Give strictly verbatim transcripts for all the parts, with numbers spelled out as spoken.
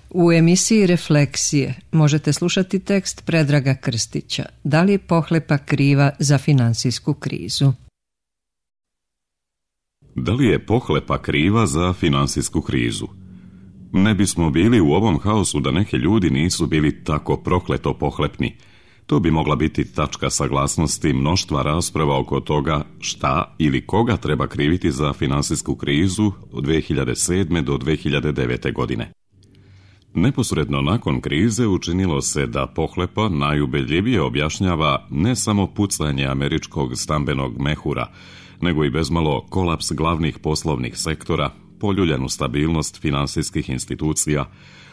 U emisiji Refleksije možete slušati tekst Predraga Krstića. Da li je pohlepa kriva za finansijsku krizu? Da li je pohlepa kriva za finansijsku krizu? Ne bismo bili u ovom haosu da neki ljudi nisu bili tako prokleto pohlepni. To bi mogla biti tačka saglasnosti mnoštva rasprava oko toga šta ili koga treba kriviti za finansijsku krizu od dve hiljade sedme do dve hiljade devete. godine. Neposredno nakon krize učinilo se da pohlepa najubedljivije objašnjava ne samo pucanje američkog stambenog mehura, nego i bezmalo kolaps glavnih poslovnih sektora, poljuljanu stabilnost finansijskih institucija,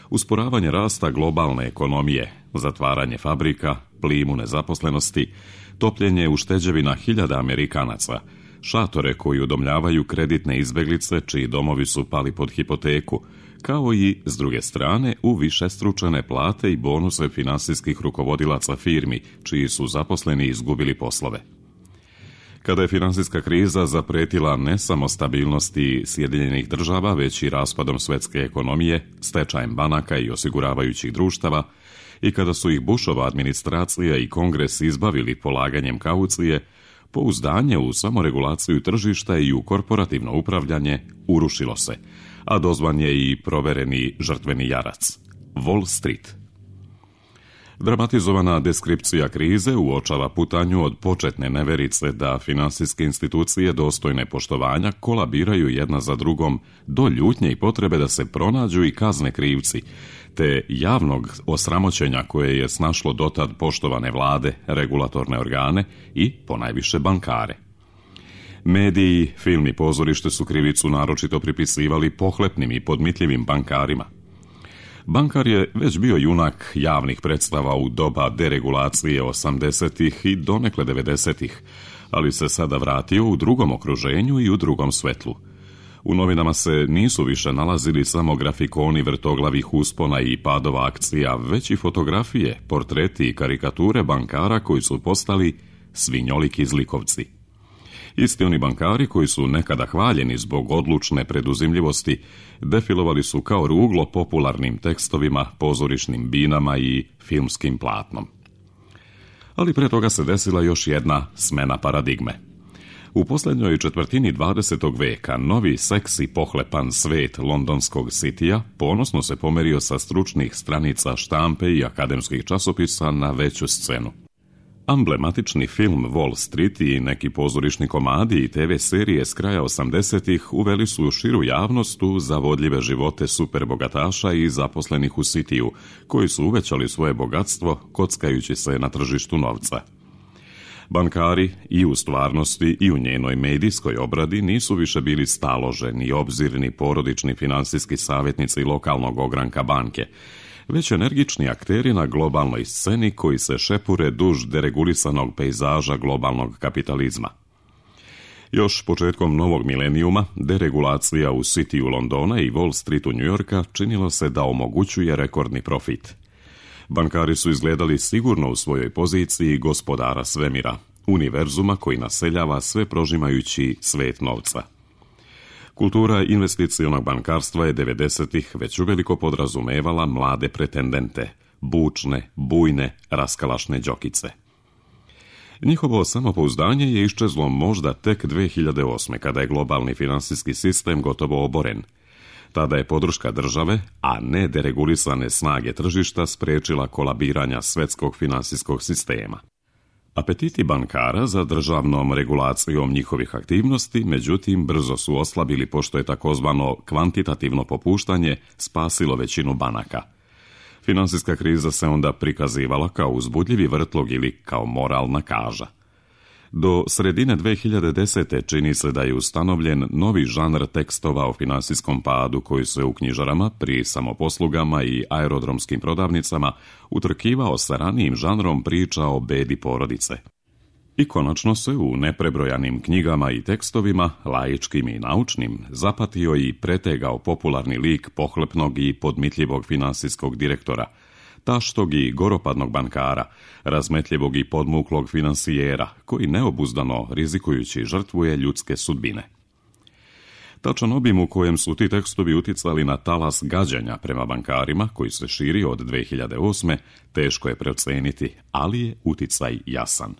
usporavanje rasta globalne ekonomije, zatvaranje fabrika, plimu nezaposlenosti, topljenje ušteđevina hiljada Amerikanaca, šatore koji udomljavaju kreditne izbeglice čiji domovi su pali pod hipoteku, kao i, s druge strane, u višestručene plate i bonuse finansijskih rukovodilaca firmi, čiji su zaposleni izgubili poslove. Kada je finansijska kriza zapretila ne samo stabilnosti Sjedinjenih država, već i raspadom svetske ekonomije, stečajem banaka i osiguravajućih društava, i kada su ih Bushova administracija i Kongres izbavili polaganjem kaucije, pouzdanje u samoregulaciju tržišta i u korporativno upravljanje urušilo se, a dozvan je i provereni žrtveni jarac – Wall Street. Dramatizovana deskripcija krize uočava putanju od početne neverice da finansijske institucije dostojne poštovanja kolabiraju jedna za drugom do ljutnje i potrebe da se pronađu i kazne krivci, te javnog osramoćenja koje je snašlo dotad poštovane vlade, regulatorne organe i, ponajviše, bankare. Mediji, film i pozorište su krivicu naročito pripisivali pohlepnim i podmitljivim bankarima. Bankar je već bio junak javnih predstava u doba deregulacije osamdesetih i donekle devedesetih, ali se sada vratio u drugom okruženju i u drugom svetlu. U novinama se nisu više nalazili samo grafikoni vrtoglavih uspona i padova akcija, već i fotografije, portreti i karikature bankara koji su postali svinjoliki zlikovci. Isti oni bankari koji su nekada hvaljeni zbog odlučne preduzimljivosti, defilovali su kao ruglo popularnim tekstovima, pozorišnim binama i filmskim platnom. Ali pre toga se desila još jedna smena paradigme. U posljednjoj četvrtini dvadesetog veka novi seksi pohlepan svet londonskog sitija ponosno se pomerio sa stručnih stranica štampe i akademskih časopisa na veću scenu. Amblematični film Wall Street i neki pozorišni komadi i te ve serije s kraja osamdesetih uveli su širu javnost u zavodljive živote superbogataša i zaposlenih u sitiju, koji su uvećali svoje bogatstvo kockajući se na tržištu novca. Bankari i u stvarnosti i u njenoj medijskoj obradi nisu više bili staloženi, obzirni porodični finansijski savjetnici lokalnog ogranka banke, već energični akteri na globalnoj sceni koji se šepure duž deregulisanog pejzaža globalnog kapitalizma. Još početkom novog milenijuma deregulacija u sitiju Londona i Wall Streetu Njujorka činilo se da omogućuje rekordni profit. Bankari su izgledali sigurno u svojoj poziciji gospodara svemira, univerzuma koji naseljava sve prožimajući svet novca. Kultura investicionog bankarstva je devedesetih već uveliko podrazumevala mlade pretendente, bučne, bujne, raskalašne đokice. Njihovo samopouzdanje je iščezlo možda tek dve hiljade osme. kada je globalni finansijski sistem gotovo oboren. Tada je podrška države, a ne deregulisane snage tržišta sprečila kolabiranja svetskog finansijskog sistema. Apetiti bankara za državnom regulacijom njihovih aktivnosti, međutim, brzo su oslabili pošto je takozvano kvantitativno popuštanje spasilo većinu banaka. Finansijska kriza se onda prikazivala kao uzbudljivi vrtlog ili kao moralna kaža. Do sredine dve hiljade desete. čini se da je ustanovljen novi žanr tekstova o finansijskom padu koji se u knjižarama, pri samoposlugama i aerodromskim prodavnicama utrkivao sa ranijim žanrom priča o bedi porodice. I konačno se u neprebrojanim knjigama i tekstovima, laičkim i naučnim, zapatio i pretegao popularni lik pohlepnog i podmitljivog finansijskog direktora, taštog i goropadnog bankara, razmetljivog i podmuklog finansijera, koji neobuzdano, rizikujući, žrtvuje ljudske sudbine. Tačan obim u kojem su ti tekstovi uticali na talas gađanja prema bankarima, koji se širi od dve hiljade osme, teško je procijeniti, ali je uticaj jasan.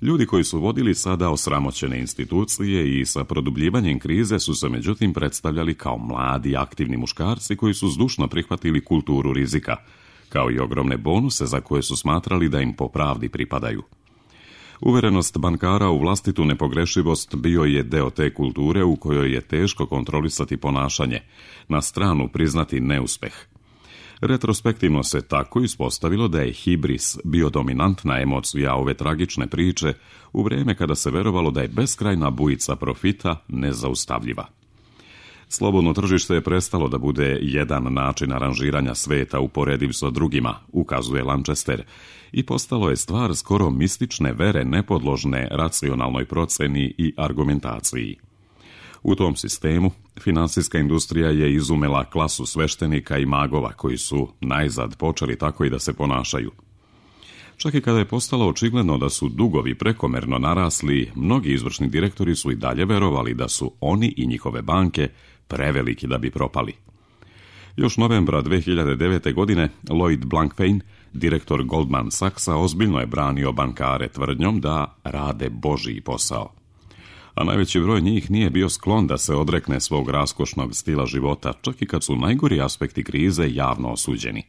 Ljudi koji su vodili sada osramoćene institucije i sa produbljivanjem krize su se međutim predstavljali kao mladi, aktivni muškarci koji su zdušno prihvatili kulturu rizika, kao i ogromne bonuse za koje su smatrali da im po pravdi pripadaju. Uverenost bankara u vlastitu nepogrešivost bio je deo te kulture u kojoj je teško kontrolisati ponašanje, na stranu priznati neuspeh. Retrospektivno se tako ispostavilo da je hibris bio dominantna emocija ove tragične priče u vrijeme kada se verovalo da je beskrajna bujica profita nezaustavljiva. Slobodno tržište je prestalo da bude jedan način aranžiranja sveta uporediv sa drugima, ukazuje Lanchester, i postalo je stvar skoro mistične vere nepodložne racionalnoj proceni i argumentaciji. U tom sistemu, finansijska industrija je izumela klasu sveštenika i magova koji su najzad počeli tako i da se ponašaju. Čak i kada je postalo očigledno da su dugovi prekomerno narasli, mnogi izvršni direktori su i dalje verovali da su oni i njihove banke preveliki da bi propali. Još novembra dve hiljade devete. godine Lloyd Blankfein, direktor Goldman Sachsa, ozbiljno je branio bankare tvrdnjom da rade božji posao. A najveći broj njih nije bio sklon da se odrekne svog raskošnog stila života, čak i kad su najgori aspekti krize javno osuđeni.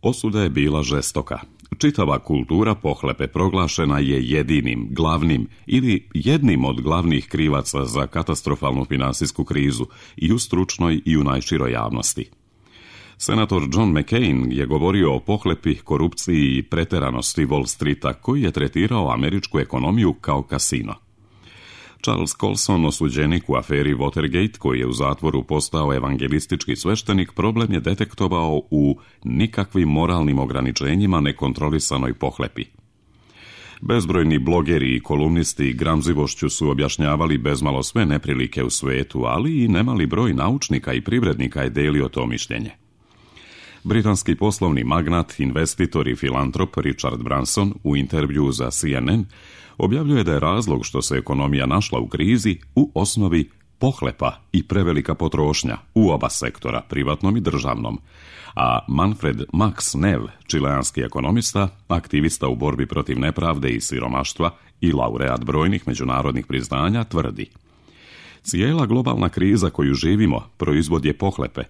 Osuda je bila žestoka. Čitava kultura pohlepe proglašena je jedinim, glavnim ili jednim od glavnih krivaca za katastrofalnu finansijsku krizu i u stručnoj i u najširoj javnosti. Senator John McCain je govorio o pohlepi, korupciji i preteranosti Wall Streeta, koji je tretirao američku ekonomiju kao kasino. Charles Colson, osuđenik u aferi Watergate, koji je u zatvoru postao evangelistički sveštenik, problem je detektovao u nikakvim moralnim ograničenjima nekontrolisanoj pohlepi. Bezbrojni blogeri i kolumnisti gramzivošću su objašnjavali bezmalo sve neprilike u svetu, ali i nemali broj naučnika i privrednika je delio to mišljenje. Britanski poslovni magnat, investitor i filantrop Richard Branson u intervjuu za C N N objavljuje da je razlog što se ekonomija našla u krizi u osnovi pohlepa i prevelika potrošnja u oba sektora, privatnom i državnom, a Manfred Max Nev, čileanski ekonomista, aktivista u borbi protiv nepravde i siromaštva i laureat brojnih međunarodnih priznanja, tvrdi: cijela globalna kriza koju živimo proizvod je pohlepe.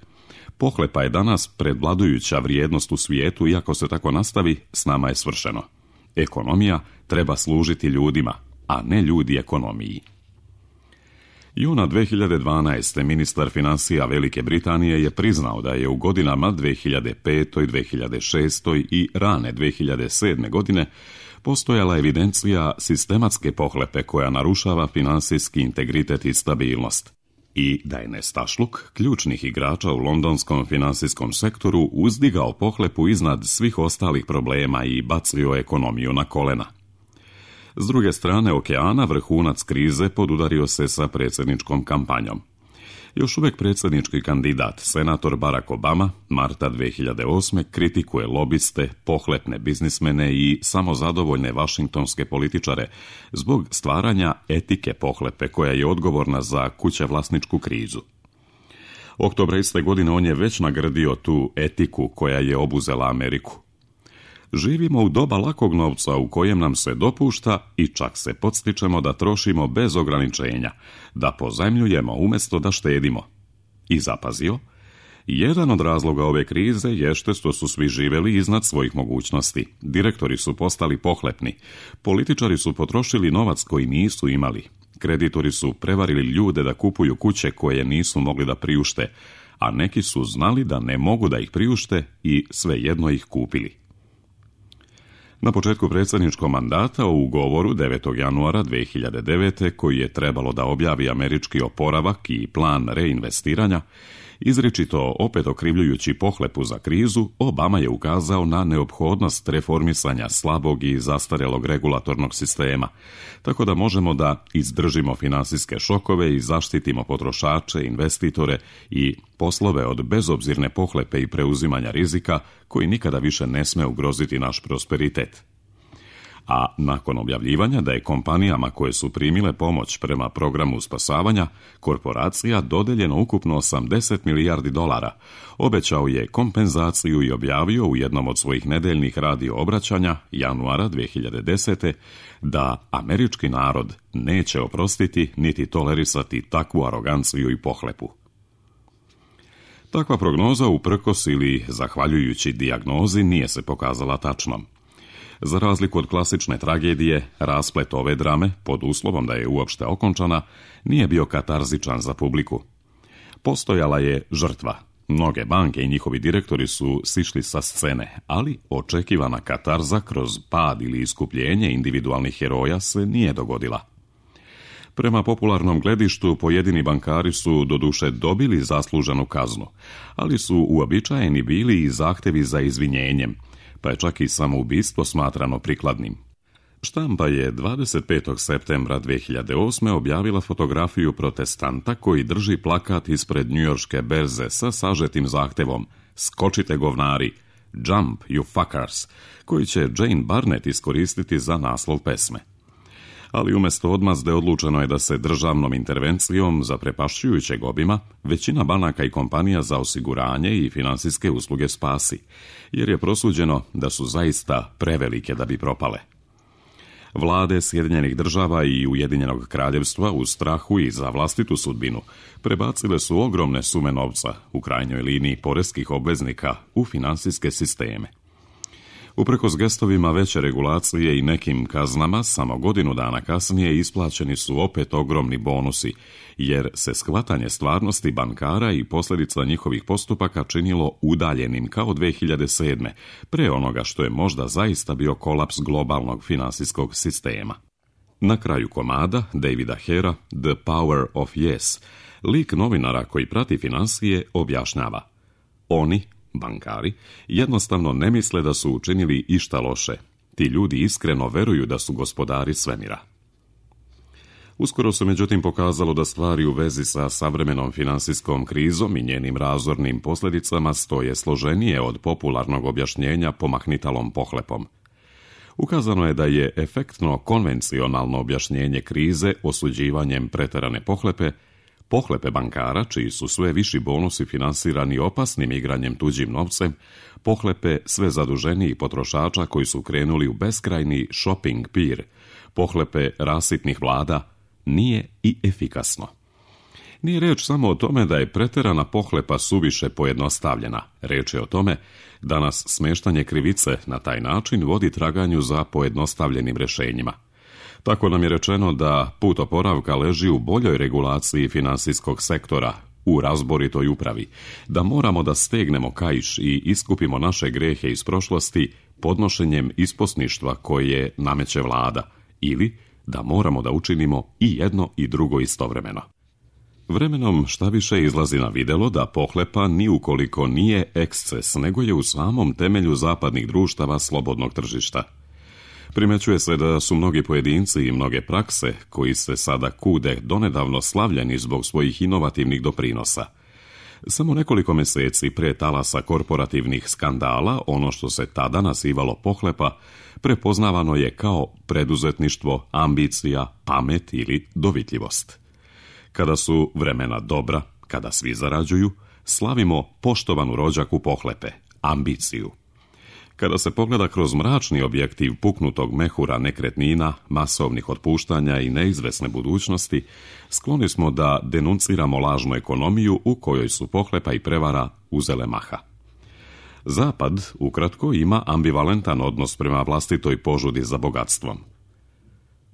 Pohlepa je danas prevladujuća vrijednost u svijetu i ako se tako nastavi, s nama je svršeno. Ekonomija treba služiti ljudima, a ne ljudi ekonomiji. Juna dve hiljade dvanaeste. ministar financija Velike Britanije je priznao da je u godinama dve hiljade pete. dve hiljade šeste. i rane dve hiljade sedme. godine postojala evidencija sistematske pohlepe koja narušava finansijski integritet i stabilnost, i da je nestašluk ključnih igrača u londonskom finansijskom sektoru uzdigao pohlepu iznad svih ostalih problema i bacio ekonomiju na kolena. S druge strane okeana, vrhunac krize podudario se sa predsjedničkom kampanjom. Još uvijek predsjednički kandidat, senator Barack Obama, marta dve hiljade osme. kritikuje lobiste, pohlepne biznismene i samozadovoljne vašingtonske političare zbog stvaranja etike pohlepe koja je odgovorna za kućevlasničku krizu. Oktobra iste godine on je već nagradio tu etiku koja je obuzela Ameriku. Živimo u doba lakog novca u kojem nam se dopušta i čak se podstičemo da trošimo bez ograničenja, da pozajmljujemo umjesto da štedimo. I zapazio, jedan od razloga ove krize jeste što su svi živjeli iznad svojih mogućnosti. Direktori su postali pohlepni, političari su potrošili novac koji nisu imali, kreditori su prevarili ljude da kupuju kuće koje nisu mogli da priušte, a neki su znali da ne mogu da ih priušte i svejedno ih kupili. Na početku predsjedničkog mandata u govoru devetog januara dve hiljade devete. koji je trebalo da objavi američki oporavak i plan reinvestiranja, izričito opet okrivljujući pohlepu za krizu, Obama je ukazao na neophodnost reformisanja slabog i zastarjelog regulatornog sistema, tako da možemo da izdržimo finansijske šokove i zaštitimo potrošače, investitore i poslove od bezobzirne pohlepe i preuzimanja rizika koji nikada više ne sme ugroziti naš prosperitet. a nakon objavljivanja da je kompanijama koje su primile pomoć prema programu spasavanja korporacija dodeljeno ukupno osamdeset milijardi dolara, obećao je kompenzaciju i objavio u jednom od svojih nedeljnih radio obraćanja januara dvije hiljade desete. da američki narod neće oprostiti niti tolerisati takvu aroganciju i pohlepu. Takva prognoza uprkos ili zahvaljujući dijagnozi nije se pokazala tačnom. Za razliku od klasične tragedije, rasplet ove drame, pod uslovom da je uopšte okončana, nije bio katarzičan za publiku. Postojala je žrtva. Mnoge banke i njihovi direktori su sišli sa scene, ali očekivana katarza kroz pad ili iskupljenje individualnih heroja se nije dogodila. Prema popularnom gledištu, pojedini bankari su doduše dobili zasluženu kaznu, ali su uobičajeni bili i zahtevi za izvinjenjem, pa je čak i samoubistvo smatrano prikladnim. Štampa je dvadeset petog septembra dvije hiljade osme. objavila fotografiju protestanta koji drži plakat ispred njujorške berze sa sažetim zahtevom "Skočite govnari, jump you fuckers", koji će Jane Barnett iskoristiti za naslov pesme. Ali umjesto odmazde odlučeno je da se državnom intervencijom zaprepašćujućeg obima većina banaka i kompanija za osiguranje i finansijske usluge spasi, jer je prosuđeno da su zaista prevelike da bi propale. Vlade Sjedinjenih država i Ujedinjenog kraljevstva u strahu i za vlastitu sudbinu prebacile su ogromne sume novca, u krajnjoj liniji poreskih obveznika, u finansijske sisteme. Uprkos gestovima veće regulacije i nekim kaznama, samo godinu dana kasnije isplaćeni su opet ogromni bonusi, jer se shvatanje stvarnosti bankara i posljedica njihovih postupaka činilo udaljenim kao dvije hiljade sedme. pre onoga što je možda zaista bio kolaps globalnog finansijskog sistema. Na kraju komada Davida Hera, The Power of Yes, lik novinara koji prati finansije objašnjava: oni, bankari, jednostavno ne misle da su učinili išta loše. Ti ljudi iskreno veruju da su gospodari svemira. Uskoro se međutim pokazalo da stvari u vezi sa savremenom finansijskom krizom i njenim razornim posljedicama stoje složenije od popularnog objašnjenja pomahnitalom pohlepom. Ukazano je da je efektno konvencionalno objašnjenje krize osuđivanjem preterane pohlepe, pohlepe bankara, čiji su sve viši bonusi finansirani opasnim igranjem tuđim novcem, pohlepe sve zaduženijih potrošača koji su krenuli u beskrajni shopping pir, pohlepe rasipnih vlada, nije i efikasno. Nije reč samo o tome da je preterana pohlepa suviše pojednostavljena. Reč je o tome da nas smeštanje krivice na taj način vodi traganju za pojednostavljenim rješenjima. Tako nam je rečeno da put oporavka leži u boljoj regulaciji finansijskog sektora, u razboritoj upravi, da moramo da stegnemo kaiš i iskupimo naše grehe iz prošlosti podnošenjem isposništva koje nameće vlada, ili da moramo da učinimo i jedno i drugo istovremeno. Vremenom šta više izlazi na videlo da pohlepa ni ukoliko nije eksces, nego je u samom temelju zapadnih društava slobodnog tržišta. Primećuje se da su mnogi pojedinci i mnoge prakse, koji se sada kude donedavno slavljeni zbog svojih inovativnih doprinosa. Samo nekoliko mjeseci pre talasa korporativnih skandala, ono što se tada nazivalo pohlepa, prepoznavano je kao preduzetništvo, ambicija, pamet ili dovitljivost. Kada su vremena dobra, kada svi zarađuju, slavimo poštovanu rođaku pohlepe, ambiciju. Kada se pogleda kroz mračni objektiv puknutog mehura nekretnina, masovnih otpuštanja i neizvesne budućnosti, skloni smo da denunciramo lažnu ekonomiju u kojoj su pohlepa i prevara uzele maha. Zapad, ukratko, ima ambivalentan odnos prema vlastitoj požudi za bogatstvom.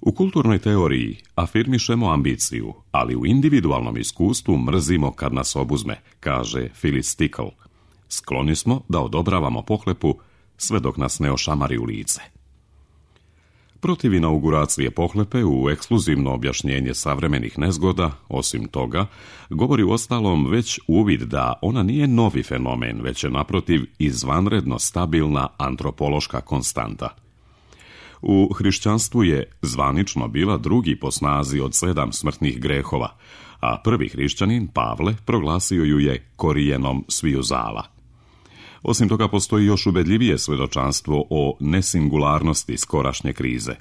U kulturnoj teoriji afirmišemo ambiciju, ali u individualnom iskustvu mrzimo kad nas obuzme, kaže Phyllis Tickle. Skloni smo da odobravamo pohlepu sve dok nas ne ošamari u lice. Protiv inauguracije pohlepe u ekskluzivno objašnjenje savremenih nezgoda, osim toga, govori uostalom već uvid da ona nije novi fenomen, već je naprotiv izvanredno stabilna antropološka konstanta. U hrišćanstvu je zvanično bila drugi po snazi od sedam smrtnih grehova, a prvi hrišćanin, Pavle, proglasio ju je korijenom sviju zala. Osim toga, postoji još ubedljivije svjedočanstvo o nesingularnosti skorašnje krize.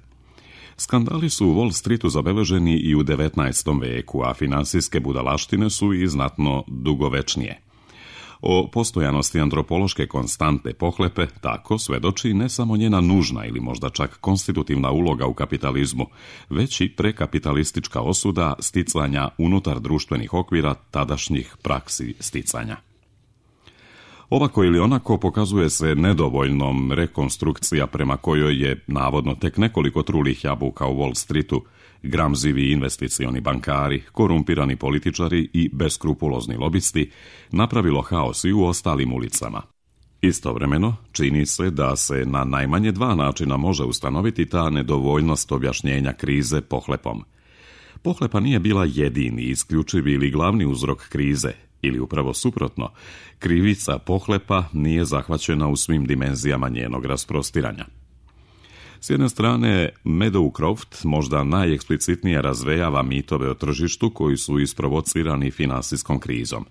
Skandali su u Wall Streetu zabeleženi i u devetnaestom veku, a finansijske budalaštine su i znatno dugovečnije. O postojanosti antropološke konstante pohlepe tako svedoči ne samo njena nužna ili možda čak konstitutivna uloga u kapitalizmu, već i prekapitalistička osuda sticanja unutar društvenih okvira tadašnjih praksi sticanja. Ovako ili onako pokazuje se nedovoljnom rekonstrukcija prema kojoj je, navodno tek nekoliko trulih jabuka u Wall Streetu, gramzivi investicioni bankari, korumpirani političari i beskrupulozni lobisti, napravilo haos i u ostalim ulicama. Istovremeno, čini se da se na najmanje dva načina može ustanoviti ta nedovoljnost objašnjenja krize pohlepom. Pohlepa nije bila jedini, isključivi ili glavni uzrok krize, ili upravo suprotno, krivica pohlepa nije zahvaćena u svim dimenzijama njenog rasprostiranja. S jedne strane, Meadowcroft možda najeksplicitnije razvejava mitove o tržištu koji su isprovocirani finansijskom krizom.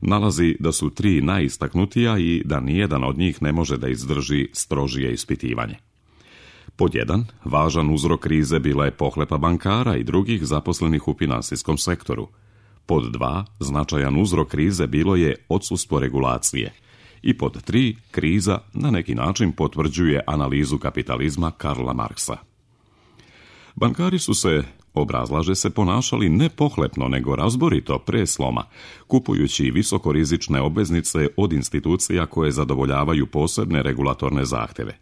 Nalazi da su tri najistaknutija i da nijedan od njih ne može da izdrži strožije ispitivanje. Pod jedan, važan uzrok krize bila je pohlepa bankara i drugih zaposlenih u finansijskom sektoru. Pod dva, značajan uzrok krize bilo je odsustvo regulacije. I pod tri, kriza na neki način potvrđuje analizu kapitalizma Karla Marksa. Bankari su se, obrazlaže se, ponašali ne pohlepno nego razborito pre sloma, kupujući visokorizične obveznice od institucija koje zadovoljavaju posebne regulatorne zahteve.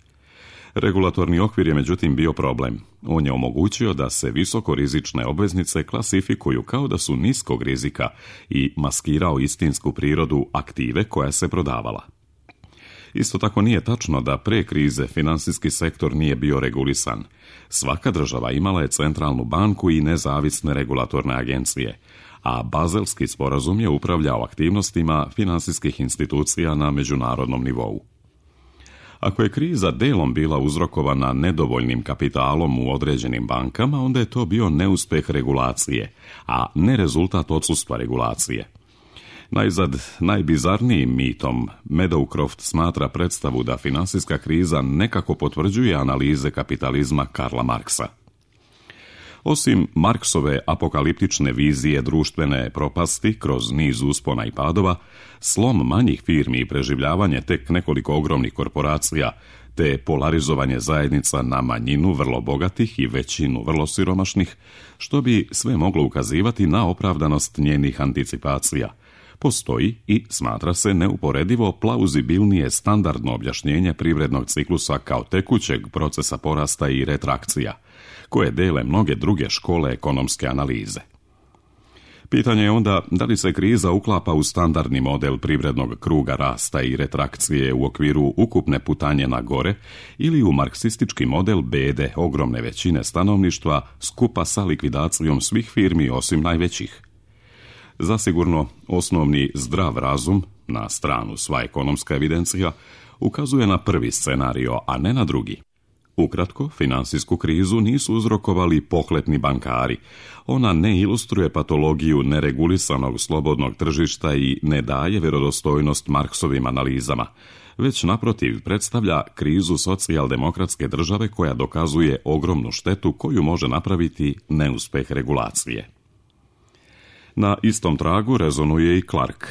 Regulatorni okvir je međutim bio problem. On je omogućio da se visokorizične obveznice klasifikuju kao da su niskog rizika i maskirao istinsku prirodu aktive koja se prodavala. Isto tako nije tačno da pre krize finansijski sektor nije bio regulisan. Svaka država imala je centralnu banku i nezavisne regulatorne agencije, a Bazelski sporazum je upravljao aktivnostima finansijskih institucija na međunarodnom nivou. Ako je kriza delom bila uzrokovana nedovoljnim kapitalom u određenim bankama, onda je to bio neuspeh regulacije, a ne rezultat odsustva regulacije. Najzad, najbizarnijim mitom Meadowcroft smatra predstavu da finansijska kriza nekako potvrđuje analize kapitalizma Karla Marksa. Osim Marksove apokaliptične vizije društvene propasti kroz niz uspona i padova, slom manjih firmi i preživljavanje tek nekoliko ogromnih korporacija, te polarizovanje zajednica na manjinu vrlo bogatih i većinu vrlo siromašnih, što bi sve moglo ukazivati na opravdanost njenih anticipacija, postoji i smatra se neuporedivo plauzibilnije standardno objašnjenje privrednog ciklusa kao tekućeg procesa porasta i retrakcija, koje dele mnoge druge škole ekonomske analize. Pitanje je onda da li se kriza uklapa u standardni model privrednog kruga rasta i retrakcije u okviru ukupne putanje na gore ili u marksistički model bede ogromne većine stanovništva skupa sa likvidacijom svih firmi osim najvećih. Zasigurno, osnovni zdrav razum, na stranu sva ekonomska evidencija, ukazuje na prvi scenario, a ne na drugi. Ukratko, finansijsku krizu nisu uzrokovali pohlepni bankari. Ona ne ilustruje patologiju neregulisanog slobodnog tržišta i ne daje vjerodostojnost Marksovim analizama, već naprotiv predstavlja krizu socijaldemokratske države koja dokazuje ogromnu štetu koju može napraviti neuspeh regulacije. Na istom tragu rezonuje i Clark.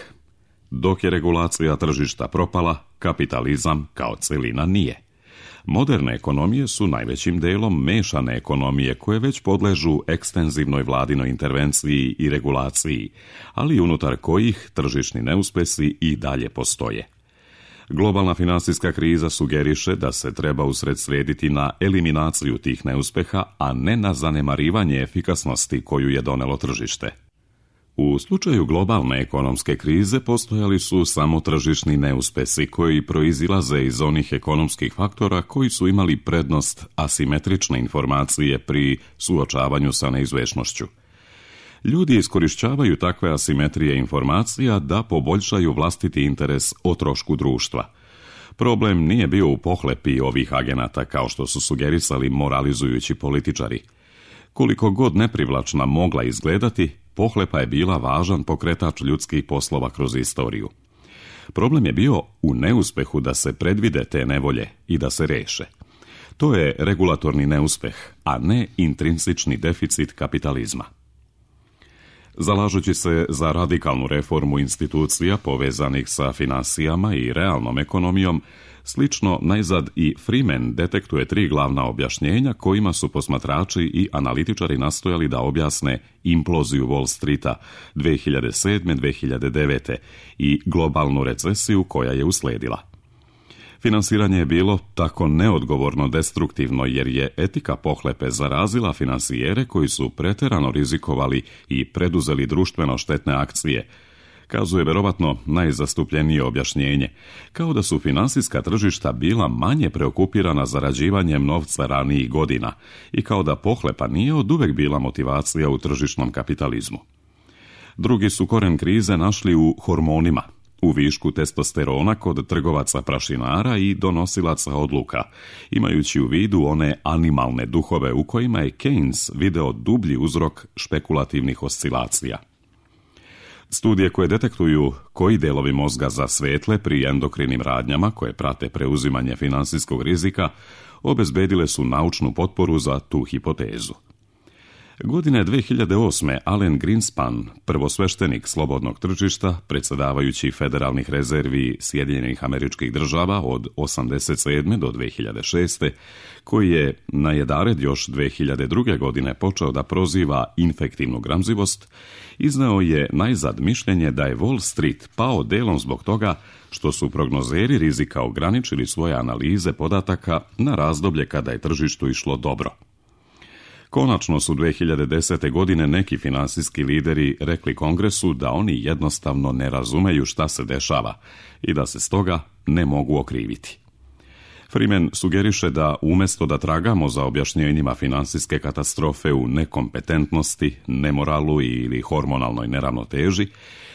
Dok je regulacija tržišta propala, kapitalizam kao celina nije. Moderne ekonomije su najvećim delom mešane ekonomije koje već podležu ekstenzivnoj vladinoj intervenciji i regulaciji, ali unutar kojih tržišni neuspesi i dalje postoje. Globalna finansijska kriza sugeriše da se treba usredsrediti na eliminaciju tih neuspeha, a ne na zanemarivanje efikasnosti koju je donelo tržište. U slučaju globalne ekonomske krize postojali su samo tržišni neuspesi koji proizilaze iz onih ekonomskih faktora koji su imali prednost asimetrične informacije pri suočavanju sa neizvešnošću. Ljudi iskorišćavaju takve asimetrije informacija da poboljšaju vlastiti interes o trošku društva. Problem nije bio u pohlepi ovih agenata kao što su sugerisali moralizujući političari. Koliko god neprivlačna mogla izgledati, pohlepa je bila važan pokretač ljudskih poslova kroz istoriju. Problem je bio u neuspehu da se predvide te nevolje i da se reše. To je regulatorni neuspeh, a ne intrinsični deficit kapitalizma. Zalažući se za radikalnu reformu institucija povezanih sa finansijama i realnom ekonomijom, slično najzad i Freeman detektuje tri glavna objašnjenja kojima su posmatrači i analitičari nastojali da objasne imploziju Wall Streeta dve hiljade sedme do dve hiljade devete i globalnu recesiju koja je usledila. Finansiranje je bilo tako neodgovorno destruktivno jer je etika pohlepe zarazila finansijere koji su preterano rizikovali i preduzeli društveno štetne akcije, kazuje verovatno najzastupljenije objašnjenje, kao da su finansijska tržišta bila manje preokupirana zarađivanjem novca ranijih godina i kao da pohlepa nije oduvek bila motivacija u tržišnom kapitalizmu. Drugi su koren krize našli u hormonima, u višku testosterona kod trgovaca prašinara i donosilaca odluka, imajući u vidu one animalne duhove u kojima je Keynes video dublji uzrok špekulativnih oscilacija. Studije koje detektuju koji delovi mozga zasvetle pri endokrinim radnjama koje prate preuzimanje finansijskog rizika obezbedile su naučnu potporu za tu hipotezu. Godine dve hiljade osme. Alan Greenspan, prvosveštenik slobodnog tržišta, predsjedavajući federalnih rezervi Sjedinjenih Američkih Država od osamdeset sedme do dve hiljade šeste, koji je najedared još dve hiljade druge. godine počeo da proziva infektivnu gramzivost, izneo je najzad mišljenje da je Wall Street pao delom zbog toga što su prognozeri rizika ograničili svoje analize podataka na razdoblje kada je tržištu išlo dobro. Konačno su dve hiljade desete. godine neki finansijski lideri rekli Kongresu da oni jednostavno ne razumeju šta se dešava i da se stoga ne mogu okriviti. Freeman sugeriše da umjesto da tragamo za objašnjenjima finansijske katastrofe u nekompetentnosti, nemoralu ili hormonalnoj neravnoteži,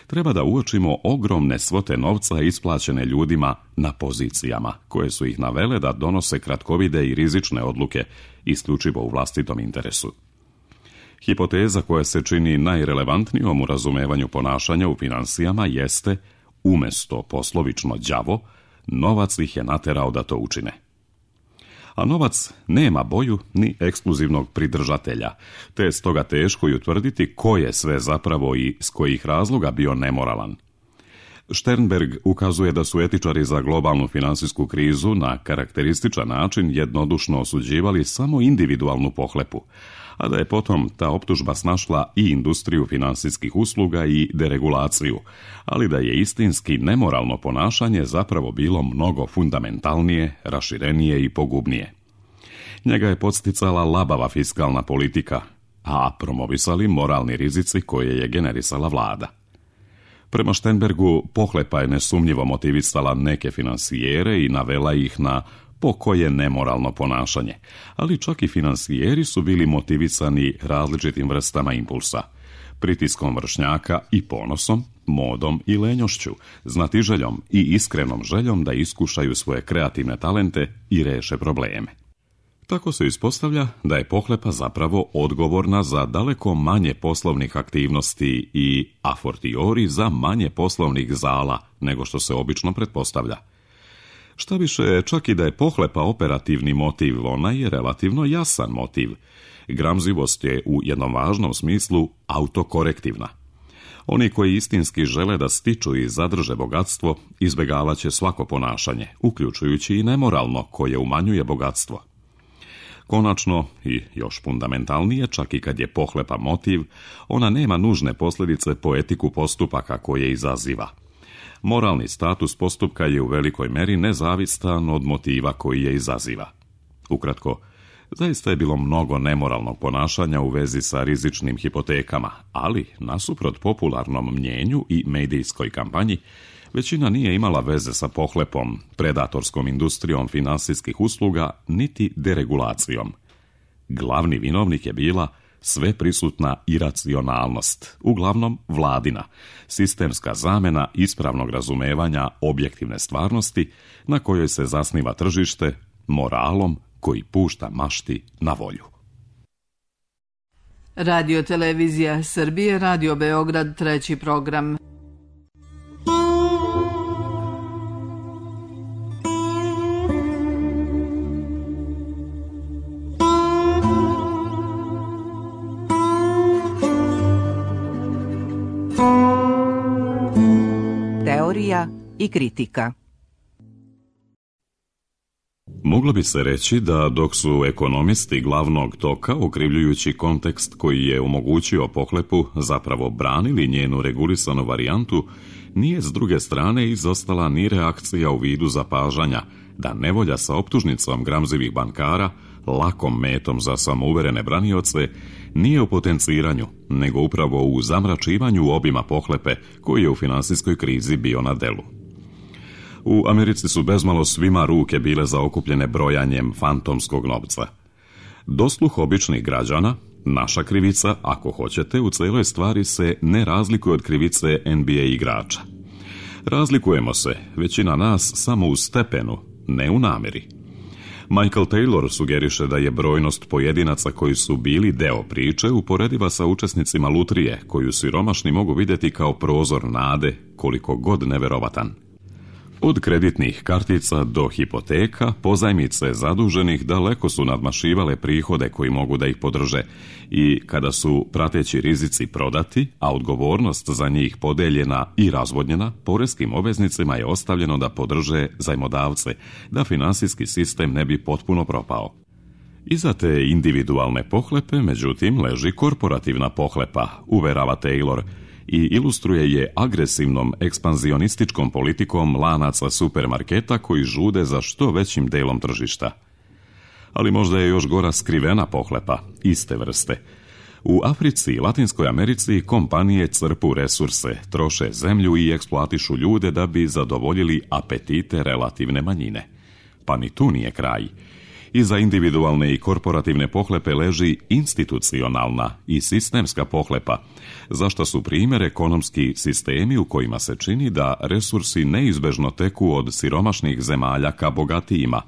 treba da uočimo ogromne svote novca isplaćene ljudima na pozicijama, koje su ih navele da donose kratkovide i rizične odluke isključivo u vlastitom interesu. Hipoteza koja se čini najrelevantnijom u razumevanju ponašanja u finansijama jeste, umjesto poslovično đavo, novac ih je naterao da to učine. A novac nema boju ni ekskluzivnog pridržatelja, te je stoga teško i utvrditi ko je sve zapravo i s kojih razloga bio nemoralan. Sternberg ukazuje da su etičari za globalnu finansijsku krizu na karakterističan način jednodušno osuđivali samo individualnu pohlepu, a da je potom ta optužba snašla i industriju finansijskih usluga i deregulaciju, ali da je istinski nemoralno ponašanje zapravo bilo mnogo fundamentalnije, raširenije i pogubnije. Njega je podsticala labava fiskalna politika, a promovisali moralni rizici koje je generisala vlada. Prema Sternbergu, pohlepa je nesumnjivo motivisala neke finansijere i navela ih na pokoje nemoralno ponašanje, ali čak i finansijeri su bili motivisani različitim vrstama impulsa, pritiskom vršnjaka i ponosom, modom i lenjošću, znatiželjom i iskrenom željom da iskušaju svoje kreativne talente i reše probleme. Tako se ispostavlja da je pohlepa zapravo odgovorna za daleko manje poslovnih aktivnosti i a fortiori za manje poslovnih zala nego što se obično pretpostavlja. Šta više, čak i da je pohlepa operativni motiv, ona je relativno jasan motiv. Gramzivost je u jednom važnom smislu autokorektivna. Oni koji istinski žele da stiču i zadrže bogatstvo, izbjegavat će svako ponašanje, uključujući i nemoralno koje umanjuje bogatstvo. Konačno, i još fundamentalnije, čak i kad je pohlepa motiv, ona nema nužne posljedice po etiku postupaka koje izaziva. Moralni status postupka je u velikoj meri nezavistan od motiva koji je izaziva. Ukratko, zaista je bilo mnogo nemoralnog ponašanja u vezi sa rizičnim hipotekama, ali, nasuprot popularnom mnjenju i medijskoj kampanji, većina nije imala veze sa pohlepom, predatorskom industrijom finansijskih usluga, niti deregulacijom. Glavni vinovnik je bila sveprisutna iracionalnost, uglavnom vladina, sistemska zamena ispravnog razumevanja objektivne stvarnosti na kojoj se zasniva tržište, moralom koji pušta mašti na volju. Radio Televizija Srbije, Radio Beograd, treći program. i kritika. Moglo bi se reći da dok su ekonomisti glavnog toka, okrivljujući kontekst koji je omogućio pohlepu, zapravo branili njenu regulisanu varijantu, nije s druge strane izostala ni reakcija u vidu zapažanja da nevolja sa optužnicom gramzivih bankara, lakom metom za samouverene branioce, nije u potenciranju, nego upravo u zamračivanju obima pohlepe koji je u finansijskoj krizi bio na delu. U Americi su bezmalo svima ruke bile zaokupljene brojanjem fantomskog novca. Dosluh običnih građana, naša krivica, ako hoćete, u celoj stvari se ne razlikuje od krivice N B A igrača. Razlikujemo se, većina nas, samo u stepenu, ne u nameri. Michael Taylor sugeriše da je brojnost pojedinaca koji su bili deo priče uporediva sa učesnicima lutrije, koju siromašni mogu vidjeti kao prozor nade, koliko god neverovatan. Od kreditnih kartica do hipoteka, pozajmice zaduženih daleko su nadmašivale prihode koji mogu da ih podrže i kada su prateći rizici prodati, a odgovornost za njih podeljena i razvodnjena, poreskim obveznicima je ostavljeno da podrže zajmodavce, da finansijski sistem ne bi potpuno propao. Iza te individualne pohlepe, međutim, leži korporativna pohlepa, uverava Taylor, i ilustruje je agresivnom ekspanzionističkom politikom lanaca supermarketa koji žude za što većim delom tržišta. Ali možda je još gora skrivena pohlepa, iste vrste. U Africi i Latinskoj Americi kompanije crpu resurse, troše zemlju i eksploatišu ljude da bi zadovoljili apetite relativne manjine. Pa ni tu nije kraj. Iza individualne i korporativne pohlepe leži institucionalna i sistemska pohlepa, za što su primjer ekonomski sistemi u kojima se čini da resursi neizbežno teku od siromašnih zemalja ka bogatijima,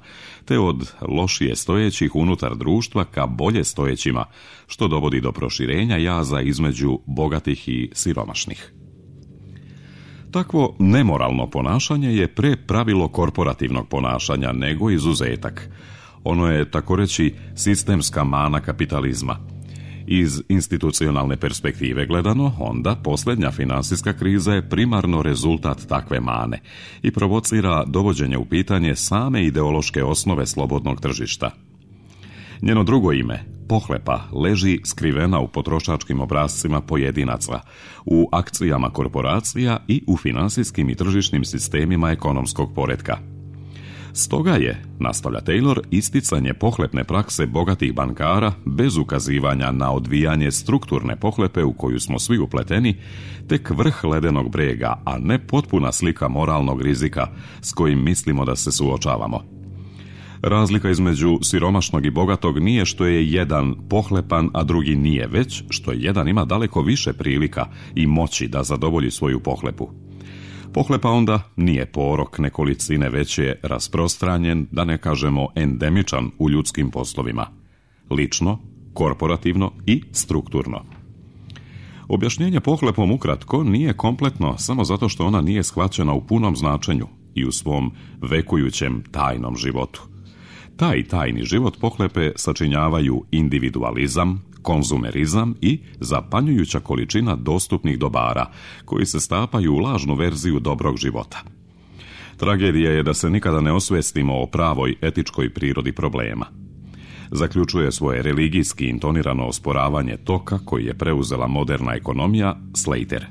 te od lošije stojećih unutar društva ka bolje stojećima, što dovodi do proširenja jaza između bogatih i siromašnih. Takvo nemoralno ponašanje je pre pravilo korporativnog ponašanja nego izuzetak. Ono je, tako reći, sistemska mana kapitalizma. Iz institucionalne perspektive gledano, onda posljednja finansijska kriza je primarno rezultat takve mane i provocira dovođenje u pitanje same ideološke osnove slobodnog tržišta. Njeno drugo ime, pohlepa, leži skrivena u potrošačkim obrascima pojedinaca, u akcijama korporacija i u finansijskim i tržišnim sistemima ekonomskog poretka. Stoga je, nastavlja Taylor, isticanje pohlepne prakse bogatih bankara bez ukazivanja na odvijanje strukturne pohlepe u koju smo svi upleteni, tek vrh ledenog brega, a ne potpuna slika moralnog rizika s kojim mislimo da se suočavamo. Razlika između siromašnog i bogatog nije što je jedan pohlepan, a drugi nije, već što jedan ima daleko više prilika i moći da zadovolji svoju pohlepu. Pohlepa onda nije porok nekolicine, već je rasprostranjen, da ne kažemo endemičan u ljudskim poslovima. Lično, korporativno i strukturno. Objašnjenje pohlepom ukratko nije kompletno samo zato što ona nije shvaćena u punom značenju i u svom vekujućem tajnom životu. Taj tajni život pohlepe sačinjavaju individualizam, konzumerizam i zapanjujuća količina dostupnih dobara koji se stapaju u lažnu verziju dobrog života. Tragedija je da se nikada ne osvestimo o pravoj etičkoj prirodi problema. Zaključuje svoje religijski intonirano osporavanje toka koji je preuzela moderna ekonomija Slater.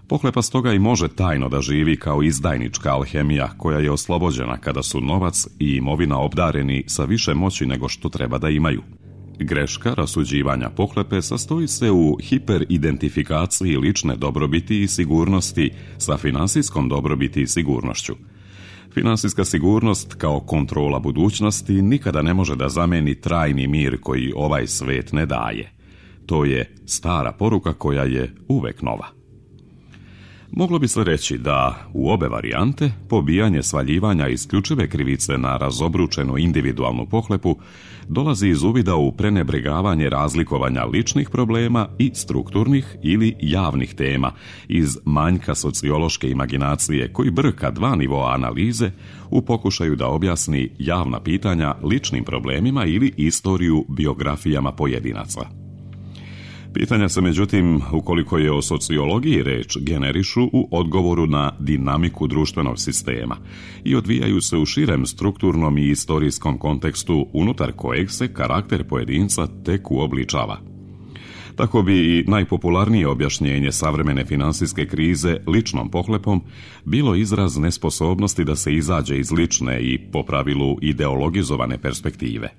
Pohlepa stoga i može tajno da živi kao izdajnička alhemija koja je oslobođena kada su novac i imovina obdareni sa više moći nego što treba da imaju. Greška rasuđivanja pohlepe sastoji se u hiperidentifikaciji lične dobrobiti i sigurnosti sa finansijskom dobrobiti i sigurnošću. Finansijska sigurnost kao kontrola budućnosti nikada ne može da zameni trajni mir koji ovaj svet ne daje. To je stara poruka koja je uvek nova. Moglo bi se reći da u obe varijante pobijanje svaljivanja isključive krivice na razobručenu individualnu pohlepu dolazi iz uvida u prenebregavanje razlikovanja ličnih problema i strukturnih ili javnih tema iz manjka sociološke imaginacije koji brka dva nivoa analize u pokušaju da objasni javna pitanja ličnim problemima ili istoriju biografijama pojedinaca. Pitanja se, međutim, ukoliko je o sociologiji reč, generišu u odgovoru na dinamiku društvenog sistema i odvijaju se u širem strukturnom i istorijskom kontekstu unutar kojeg se karakter pojedinca tek uobličava. Tako bi i najpopularnije objašnjenje savremene financijske krize ličnom pohlepom bilo izraz nesposobnosti da se izađe iz lične i po pravilu ideologizovane perspektive.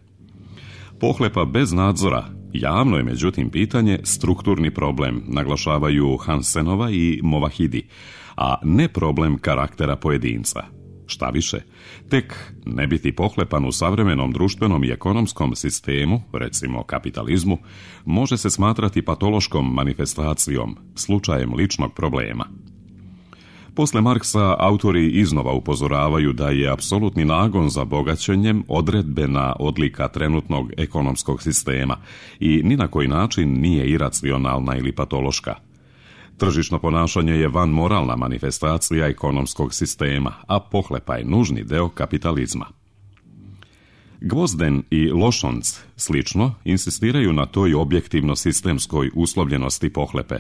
Pohlepa bez nadzora javno je međutim pitanje strukturni problem, naglašavaju Hansenova i Movahidi, a ne problem karaktera pojedinca. Šta više, tek ne biti pohlepan u savremenom društvenom i ekonomskom sistemu, recimo kapitalizmu, može se smatrati patološkom manifestacijom, slučajem ličnog problema. Posle Marksa autori iznova upozoravaju da je apsolutni nagon za bogaćenjem odredbena odlika trenutnog ekonomskog sistema i ni na koji način nije iracionalna ili patološka. Tržišno ponašanje je vanmoralna manifestacija ekonomskog sistema, a pohlepa je nužni deo kapitalizma. Gvozden i Lošonc, slično, insistiraju na toj objektivno-sistemskoj uslovljenosti pohlepe,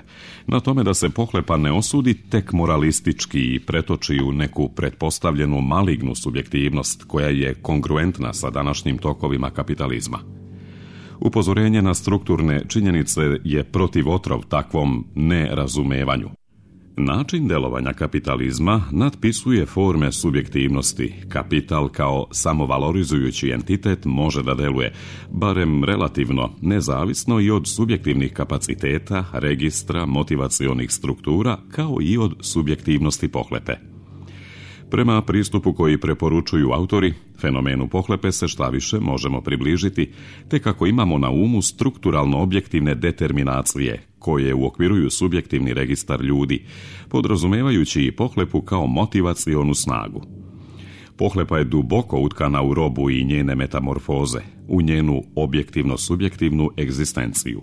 na tome da se pohlepa ne osudi tek moralistički i pretoči u neku pretpostavljenu malignu subjektivnost koja je kongruentna sa današnjim tokovima kapitalizma. Upozorenje na strukturne činjenice je protivotrov takvom nerazumevanju. Način delovanja kapitalizma nadpisuje forme subjektivnosti. Kapital kao samovalorizujući entitet može da deluje, barem relativno, nezavisno i od subjektivnih kapaciteta, registra, motivacionih struktura, kao i od subjektivnosti pohlepe. Prema pristupu koji preporučuju autori, fenomenu pohlepe se šta više možemo približiti, te kako imamo na umu strukturalno objektivne determinacije, koje uokviruju subjektivni registar ljudi, podrazumevajući i pohlepu kao motivacionu snagu. Pohlepa je duboko utkana u robu i njene metamorfoze, u njenu objektivno-subjektivnu egzistenciju.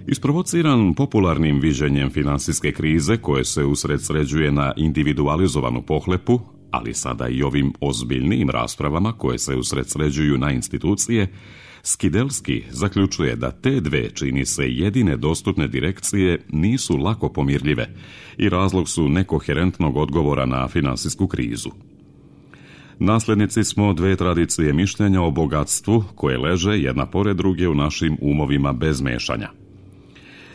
Isprovociran popularnim viđenjem finansijske krize koje se usredsređuje na individualizovanu pohlepu, ali sada i ovim ozbiljnijim raspravama koje se usredsređuju na institucije, Skidelski zaključuje da te dve, čini se, jedine dostupne direkcije nisu lako pomirljive i razlog su nekoherentnog odgovora na finansijsku krizu. Nasljednici smo dve tradicije mišljenja o bogatstvu koje leže jedna pored druge u našim umovima bez mešanja.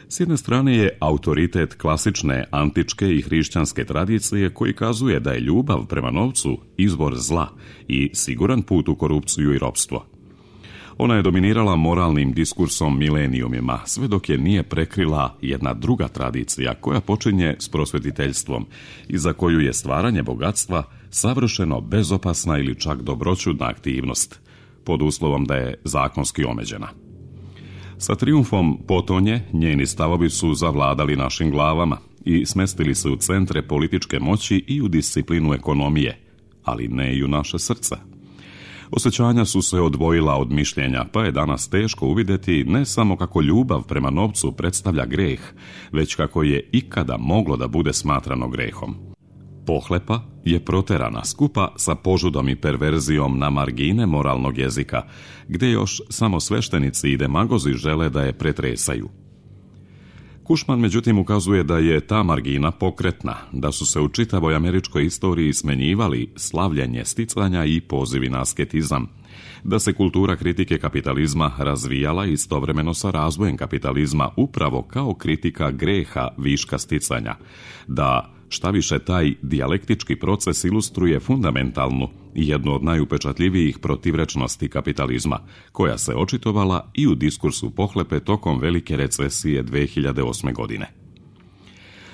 S jedne strane je autoritet klasične antičke i hrišćanske tradicije koji kazuje da je ljubav prema novcu izvor zla i siguran put u korupciju i ropstvo. Ona je dominirala moralnim diskursom milenijumima, sve dok je nije prekrila jedna druga tradicija koja počinje s prosvetiteljstvom i za koju je stvaranje bogatstva savršeno bezopasna ili čak dobroćudna aktivnost, pod uslovom da je zakonski omeđena. Sa trijumfom potonje, njeni stavovi su zavladali našim glavama i smestili se u centre političke moći i u disciplinu ekonomije, ali ne i u naše srca. Osjećanja su se odvojila od mišljenja, pa je danas teško uvidjeti ne samo kako ljubav prema novcu predstavlja greh, već kako je ikada moglo da bude smatrano grehom. Pohlepa je proterana skupa sa požudom i perverzijom na margine moralnog jezika, gdje još samo sveštenici i demagozi žele da je pretresaju. Kušman međutim ukazuje da je ta margina pokretna, da su se u čitavoj američkoj istoriji smenjivali slavljenje sticanja i pozivi na asketizam, da se kultura kritike kapitalizma razvijala istovremeno sa razvojem kapitalizma upravo kao kritika greha viška sticanja, da šta više taj dijalektički proces ilustruje fundamentalnu i jednu od najupečatljivijih protivrečnosti kapitalizma, koja se očitovala i u diskursu pohlepe tokom velike recesije dve hiljade osme. godine.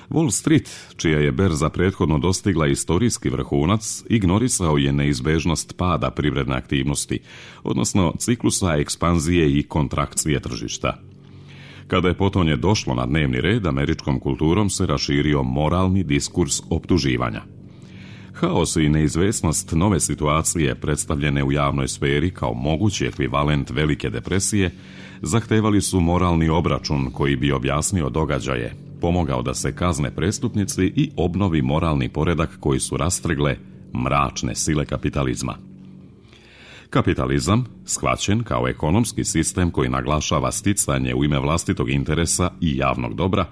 Wall Street, čija je berza prethodno dostigla istorijski vrhunac, ignorisao je neizbežnost pada privredne aktivnosti, odnosno ciklusa ekspanzije i kontrakcije tržišta. Kada je potonje došlo na dnevni red, američkom kulturom se raširio moralni diskurs optuživanja. Haos i neizvesnost nove situacije predstavljene u javnoj sferi kao mogući ekvivalent velike depresije zahtevali su moralni obračun koji bi objasnio događaje, pomogao da se kazne prestupnici i obnovi moralni poredak koji su rastrgle mračne sile kapitalizma. Kapitalizam, shvaćen kao ekonomski sistem koji naglašava sticanje u ime vlastitog interesa i javnog dobra,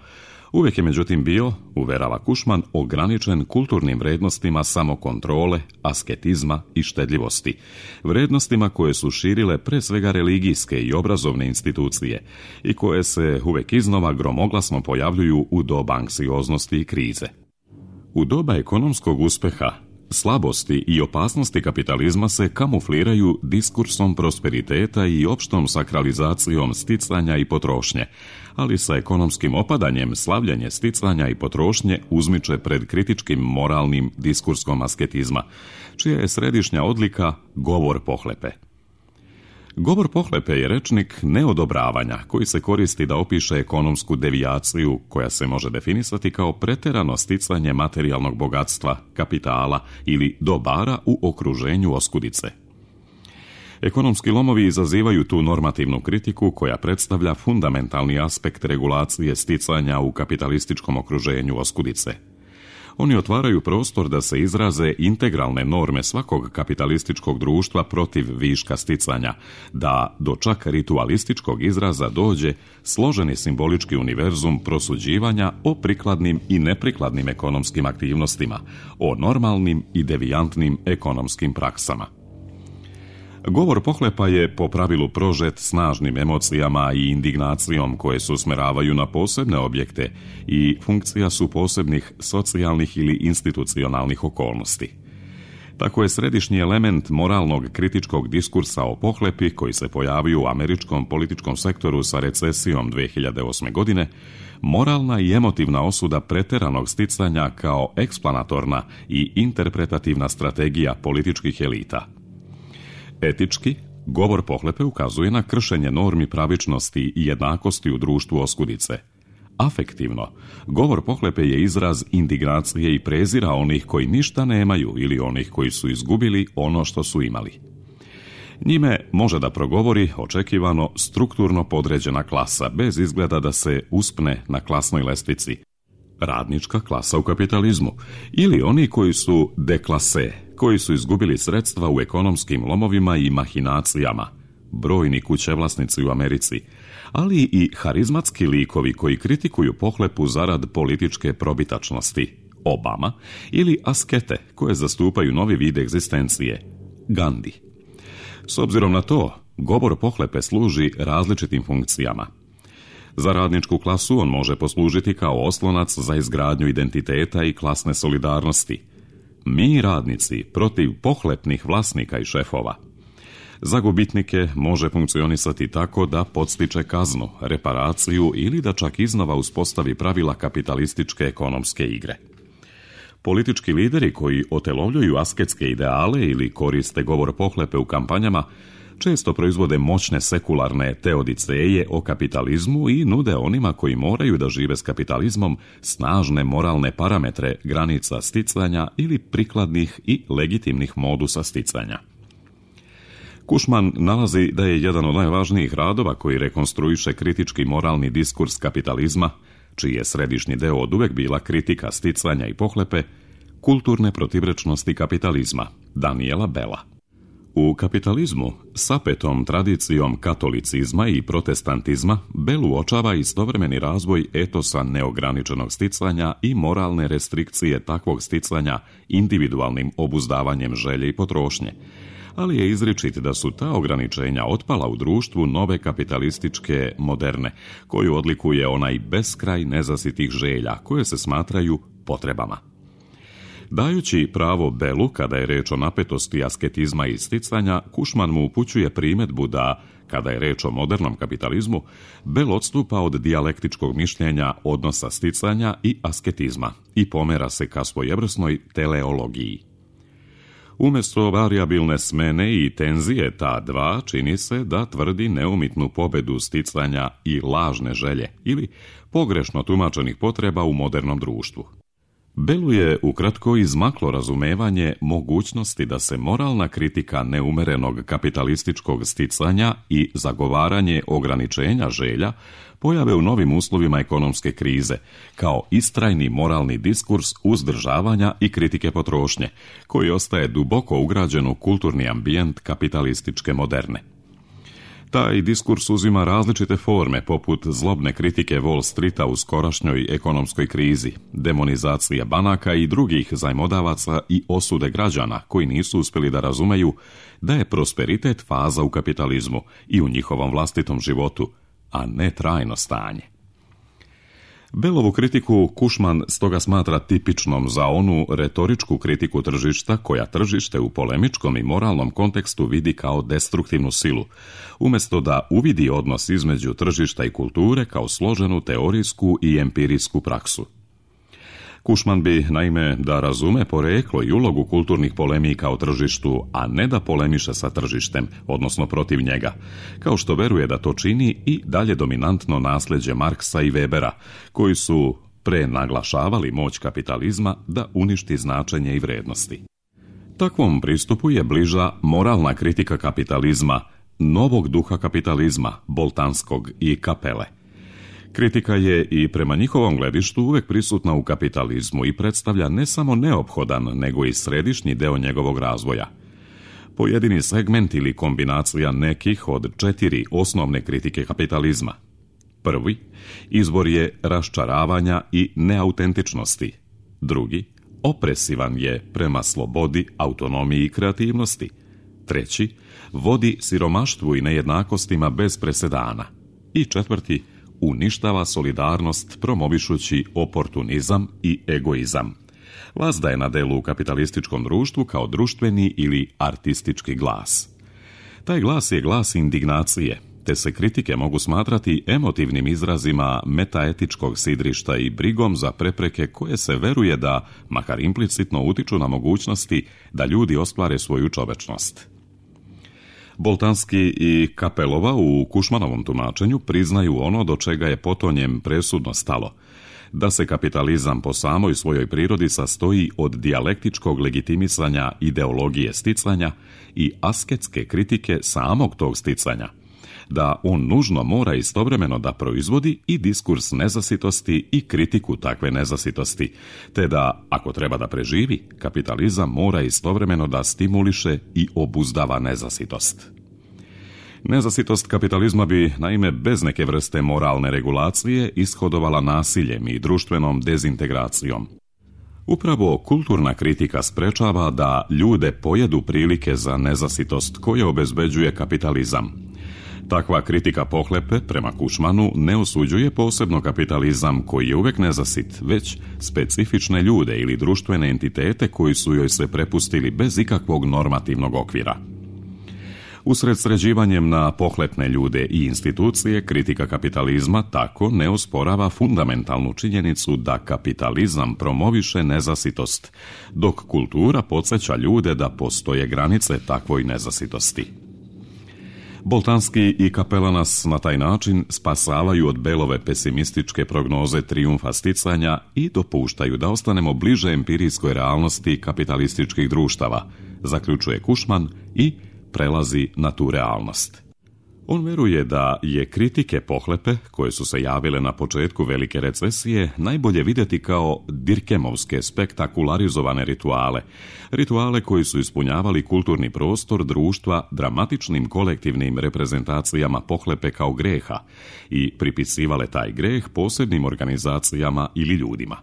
uvijek je međutim bio, uverava Cushman, ograničen kulturnim vrednostima samokontrole, asketizma i štedljivosti, vrednostima koje su širile pre svega religijske i obrazovne institucije i koje se uvijek iznova gromoglasno pojavljuju u doba anksioznosti i krize. U doba ekonomskog uspeha, slabosti i opasnosti kapitalizma se kamufliraju diskursom prosperiteta i opštom sakralizacijom sticanja i potrošnje, ali sa ekonomskim opadanjem slavljanje sticanja i potrošnje uzmiče pred kritičkim moralnim diskurskom asketizma, čija je središnja odlika govor pohlepe. Govor pohlepe je rečnik neodobravanja koji se koristi da opiše ekonomsku devijaciju koja se može definisati kao preterano sticanje materijalnog bogatstva, kapitala ili dobara u okruženju oskudice. Ekonomski lomovi izazivaju tu normativnu kritiku koja predstavlja fundamentalni aspekt regulacije sticanja u kapitalističkom okruženju oskudice. Oni otvaraju prostor da se izraze integralne norme svakog kapitalističkog društva protiv viška sticanja, da do čak ritualističkog izraza dođe složeni simbolički univerzum prosuđivanja o prikladnim i neprikladnim ekonomskim aktivnostima, o normalnim i devijantnim ekonomskim praksama. Govor pohlepa je po pravilu prožet snažnim emocijama i indignacijom koje se usmeravaju na posebne objekte i funkcija su posebnih socijalnih ili institucionalnih okolnosti. Tako je središnji element moralnog kritičkog diskursa o pohlepi koji se pojavio u američkom političkom sektoru sa recesijom dve hiljade osme. godine moralna i emotivna osuda preteranog sticanja kao eksplanatorna i interpretativna strategija političkih elita. Etički, govor pohlepe ukazuje na kršenje normi pravičnosti i jednakosti u društvu oskudice. Afektivno, govor pohlepe je izraz indignacije i prezira onih koji ništa nemaju ili onih koji su izgubili ono što su imali. Njime može da progovori očekivano strukturno podređena klasa bez izgleda da se uspne na klasnoj lestvici. Radnička klasa u kapitalizmu ili oni koji su deklase, koji su izgubili sredstva u ekonomskim lomovima i mahinacijama, brojni kućevlasnici u Americi, ali i harizmatski likovi koji kritikuju pohlepu zarad političke probitačnosti, Obama, ili askete koje zastupaju novi vid egzistencije, Gandhi. S obzirom na to, govor pohlepe služi različitim funkcijama. Za radničku klasu on može poslužiti kao oslonac za izgradnju identiteta i klasne solidarnosti. Mi, radnici, protiv pohlepnih vlasnika i šefova. Za gubitnike može funkcionisati tako da podstiče kaznu, reparaciju ili da čak iznova uspostavi pravila kapitalističke ekonomske igre. Politički lideri koji otelovljuju asketske ideale ili koriste govor pohlepe u kampanjama često proizvode moćne sekularne teodiceje o kapitalizmu i nude onima koji moraju da žive s kapitalizmom snažne moralne parametre granica sticanja ili prikladnih i legitimnih modusa sticanja. Cushman nalazi da je jedan od najvažnijih radova koji rekonstruiše kritički moralni diskurs kapitalizma, čiji je središnji deo oduvek bila kritika sticanja i pohlepe, kulturne protivrečnosti kapitalizma, Daniela Bella. U kapitalizmu, sapetom tradicijom katolicizma i protestantizma, Bell uočava istovremeni razvoj etosa neograničenog sticanja i moralne restrikcije takvog sticanja individualnim obuzdavanjem želje i potrošnje, ali je izričit da su ta ograničenja otpala u društvu nove kapitalističke moderne, koju odlikuje onaj beskraj nezasitih želja koje se smatraju potrebama. Dajući pravo Bellu kada je reč o napetosti asketizma i sticanja, Cushman mu upućuje primedbu da, kada je reč o modernom kapitalizmu, Bell odstupa od dijalektičkog mišljenja odnosa sticanja i asketizma i pomera se ka svojevrsnoj teleologiji. Umjesto varijabilne smene i tenzije ta dva, čini se da tvrdi neumitnu pobedu sticanja i lažne želje ili pogrešno tumačenih potreba u modernom društvu. Bellu je ukratko izmaklo razumevanje mogućnosti da se moralna kritika neumerenog kapitalističkog sticanja i zagovaranje ograničenja želja pojave u novim uslovima ekonomske krize, kao istrajni moralni diskurs uzdržavanja i kritike potrošnje, koji ostaje duboko ugrađen u kulturni ambijent kapitalističke moderne. Taj diskurs uzima različite forme, poput zlobne kritike Wall Streeta u skorašnjoj ekonomskoj krizi, demonizacije banaka i drugih zajmodavaca i osude građana koji nisu uspjeli da razumeju da je prosperitet faza u kapitalizmu i u njihovom vlastitom životu, a ne trajno stanje. Bellovu kritiku Cushman stoga smatra tipičnom za onu retoričku kritiku tržišta koja tržište u polemičkom i moralnom kontekstu vidi kao destruktivnu silu, umjesto da uvidi odnos između tržišta i kulture kao složenu teorijsku i empirijsku praksu. Cushman bi, naime, da razume poreklo i ulogu kulturnih polemika o tržištu, a ne da polemiše sa tržištem, odnosno protiv njega, kao što veruje da to čini i dalje dominantno nasljeđe Marksa i Webera, koji su prenaglašavali moć kapitalizma da uništi značenje i vrednosti. Takvom pristupu je bliža moralna kritika kapitalizma, novog duha kapitalizma, Boltanskog i Capelle. Kritika je i prema njihovom gledištu uvek prisutna u kapitalizmu i predstavlja ne samo neophodan, nego i središnji deo njegovog razvoja. Pojedini segment ili kombinacija nekih od četiri osnovne kritike kapitalizma. Prvi, izvor je raščaravanja i neautentičnosti. Drugi, opresivan je prema slobodi, autonomiji i kreativnosti. Treći, vodi siromaštvu i nejednakostima bez presedana. I četvrti, uništava solidarnost promovišući oportunizam i egoizam. Vazda je na delu u kapitalističkom društvu kao društveni ili artistički glas. Taj glas je glas indignacije, te se kritike mogu smatrati emotivnim izrazima metaetičkog sidrišta i brigom za prepreke koje se veruje da, makar implicitno, utiču na mogućnosti da ljudi ostvare svoju čovečnost. Boltanski i Capellova u Cushmanovom tumačenju priznaju ono do čega je potonjem presudno stalo, da se kapitalizam po samoj svojoj prirodi sastoji od dijalektičkog legitimisanja ideologije sticanja i asketske kritike samog tog sticanja, da on nužno mora istovremeno da proizvodi i diskurs nezasitosti i kritiku takve nezasitosti, te da, ako treba da preživi, kapitalizam mora istovremeno da stimuliše i obuzdava nezasitost. Nezasitost kapitalizma bi, naime, bez neke vrste moralne regulacije ishodovala nasiljem i društvenom dezintegracijom. Upravo kulturna kritika sprečava da ljude pojedu prilike za nezasitost koje obezbeđuje kapitalizam. Takva kritika pohlepe, prema Cushmanu, ne osuđuje posebno kapitalizam koji je uvek nezasit, već specifične ljude ili društvene entitete koji su joj se prepustili bez ikakvog normativnog okvira. Usred sređivanjem na pohlepne ljude i institucije, kritika kapitalizma tako ne osporava fundamentalnu činjenicu da kapitalizam promoviše nezasitost, dok kultura podsjeća ljude da postoje granice takvoj nezasitosti. Boltanski i Capella nas na taj način spasavaju od Bellove pesimističke prognoze trijumfa sticanja i dopuštaju da ostanemo bliže empirijskoj realnosti kapitalističkih društava, zaključuje Cushman i prelazi na tu realnost. On veruje da je kritike pohlepe, koje su se javile na početku velike recesije, najbolje vidjeti kao Dirkemovske spektakularizovane rituale, rituale koji su ispunjavali kulturni prostor društva dramatičnim kolektivnim reprezentacijama pohlepe kao greha i pripisivale taj greh posebnim organizacijama ili ljudima.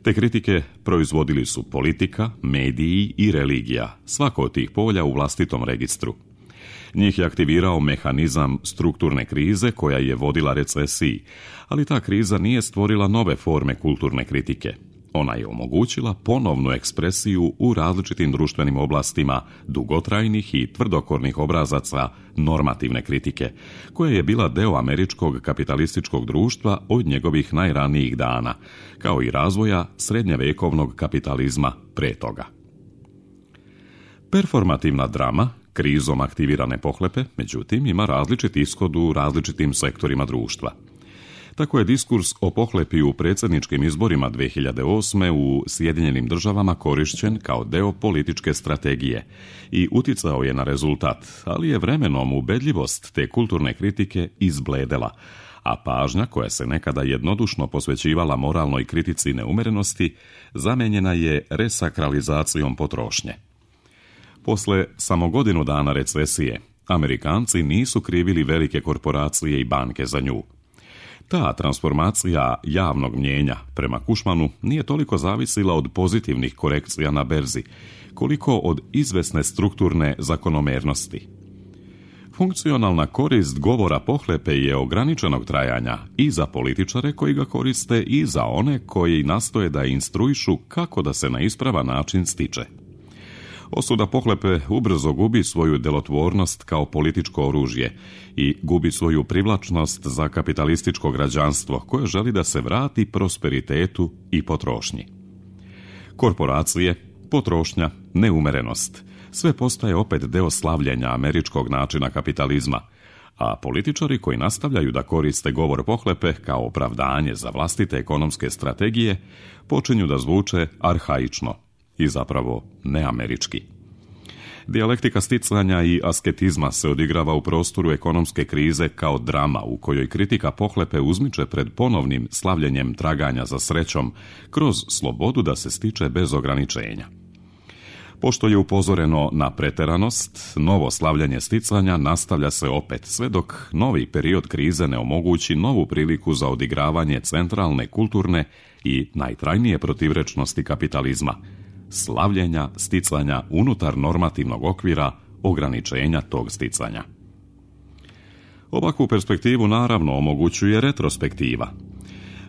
Te kritike proizvodili su politika, mediji i religija, svako od tih polja u vlastitom registru. Njih je aktivirao mehanizam strukturne krize koja je vodila recesiji, ali ta kriza nije stvorila nove forme kulturne kritike. Ona je omogućila ponovnu ekspresiju u različitim društvenim oblastima dugotrajnih i tvrdokornih obrazaca normativne kritike, koja je bila deo američkog kapitalističkog društva od njegovih najranijih dana, kao i razvoja srednjevekovnog kapitalizma pre toga. Performativna drama, krizom aktivirane pohlepe, međutim, ima različit ishod u različitim sektorima društva. Tako je diskurs o pohlepi u predsjedničkim izborima dvije hiljade osme. u Sjedinjenim državama korišćen kao deo političke strategije i uticao je na rezultat, ali je vremenom ubedljivost te kulturne kritike izbledela, a pažnja koja se nekada jednodušno posvećivala moralnoj kritici neumerenosti zamenjena je resakralizacijom potrošnje. Posle samo godinu dana recesije, Amerikanci nisu krivili velike korporacije i banke za nju. Ta transformacija javnog mnijenja prema Cushmanu nije toliko zavisila od pozitivnih korekcija na berzi, koliko od izvesne strukturne zakonomernosti. Funkcionalna korist govora pohlepe je ograničenog trajanja i za političare koji ga koriste i za one koji nastoje da instruišu kako da se na ispravan način stiče. Osuda pohlepe ubrzo gubi svoju delotvornost kao političko oružje i gubi svoju privlačnost za kapitalističko građanstvo koje želi da se vrati prosperitetu i potrošnji. Korporacije, potrošnja, neumerenost, sve postaje opet deo slavljenja američkog načina kapitalizma, a političari koji nastavljaju da koriste govor pohlepe kao opravdanje za vlastite ekonomske strategije počinju da zvuče arhaično i zapravo neamerički. Dijalektika sticanja i asketizma se odigrava u prostoru ekonomske krize kao drama u kojoj kritika pohlepe uzmiče pred ponovnim slavljenjem traganja za srećom kroz slobodu da se stiče bez ograničenja. Pošto je upozoreno na preteranost, novo slavljanje sticanja nastavlja se opet sve dok novi period krize ne omogući novu priliku za odigravanje centralne, kulturne i najtrajnije protivrečnosti kapitalizma, slavljenja sticanja unutar normativnog okvira ograničenja tog sticanja. Ovakvu perspektivu naravno omogućuje retrospektiva.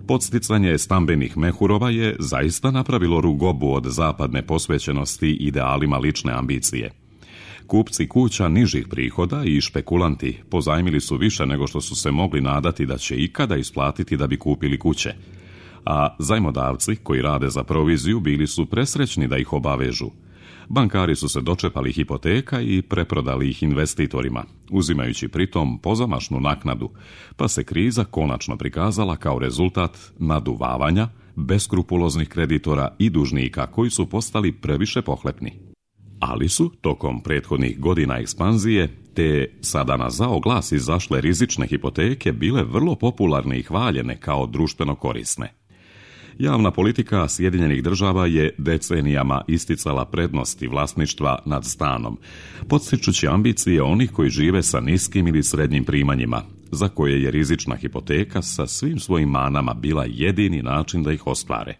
Podsticanje stambenih mehurova je zaista napravilo rugobu od zapadne posvećenosti idealima lične ambicije. Kupci kuća nižih prihoda i špekulanti pozajmili su više nego što su se mogli nadati da će ikada isplatiti da bi kupili kuće, a zajmodavci koji rade za proviziju bili su presrećni da ih obavežu. Bankari su se dočepali hipoteka i preprodali ih investitorima, uzimajući pritom pozamašnu naknadu, pa se kriza konačno prikazala kao rezultat naduvavanja beskrupuloznih kreditora i dužnika koji su postali previše pohlepni. Ali su, tokom prethodnih godina ekspanzije, te sada na zao glas izašle rizične hipoteke bile vrlo popularne i hvaljene kao društveno korisne. Javna politika Sjedinjenih država je decenijama isticala prednosti vlasništva nad stanom, podstičući ambicije onih koji žive sa niskim ili srednjim primanjima, za koje je rizična hipoteka sa svim svojim manama bila jedini način da ih ostvare.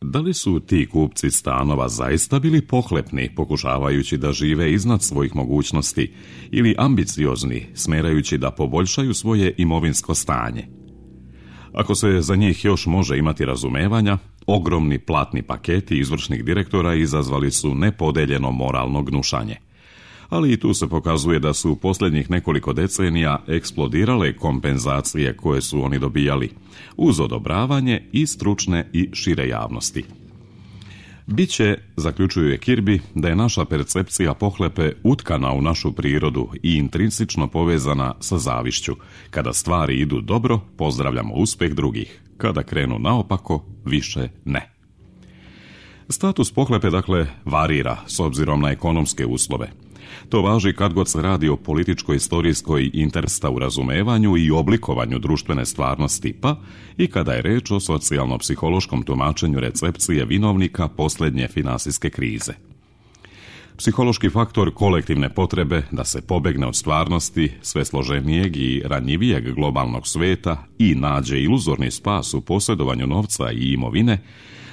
Da li su ti kupci stanova zaista bili pohlepni, pokušavajući da žive iznad svojih mogućnosti, ili ambiciozni, smerajući da poboljšaju svoje imovinsko stanje? Ako se za njih još može imati razumevanja, ogromni platni paketi izvršnih direktora izazvali su nepodeljeno moralno gnušanje. Ali i tu se pokazuje da su u posljednjih nekoliko decenija eksplodirale kompenzacije koje su oni dobijali, uz odobravanje i stručne i šire javnosti. Biće, zaključuje Kirby, da je naša percepcija pohlepe utkana u našu prirodu i intrinsično povezana sa zavišću. Kada stvari idu dobro, pozdravljamo uspjeh drugih. Kada krenu naopako, više ne. Status pohlepe, dakle, varira s obzirom na ekonomske uslove. To važi kad god se radi o političko-istorijskoj intersta u razumevanju i oblikovanju društvene stvarnosti, pa i kada je reč o socijalno-psihološkom tumačenju recepcije vinovnika posljednje finansijske krize. Psihološki faktor kolektivne potrebe da se pobegne od stvarnosti sve složenijeg i ranjivijeg globalnog sveta i nađe iluzorni spas u posjedovanju novca i imovine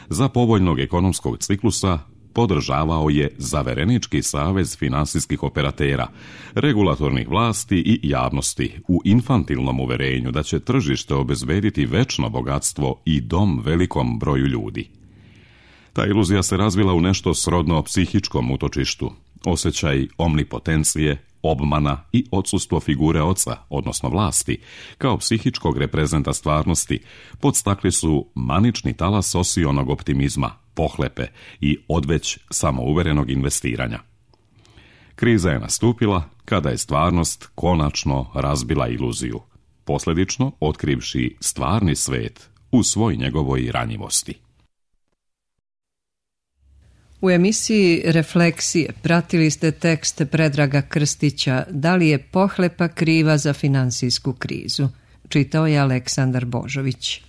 za povoljnog ekonomskog ciklusa podržavao je Zaverenički savez finansijskih operatera, regulatornih vlasti i javnosti u infantilnom uverenju da će tržište obezbediti večno bogatstvo i dom velikom broju ljudi. Ta iluzija se razvila u nešto srodno psihičkom utočištu, osjećaj omnipotencije, obmana i odsustvo figure oca, odnosno vlasti, kao psihičkog reprezenta stvarnosti, podstakli su manični talas osionog optimizma, pohlepe i odveć samouverenog investiranja. Kriza je nastupila kada je stvarnost konačno razbila iluziju. posljedično otkrivši stvarni svet u svoj njegovoj ranjivosti. U emisiji Refleksije pratili ste tekst Predraga Krstića Da li je pohlepa kriva za finansijsku krizu? Čitao je Aleksandar Božović.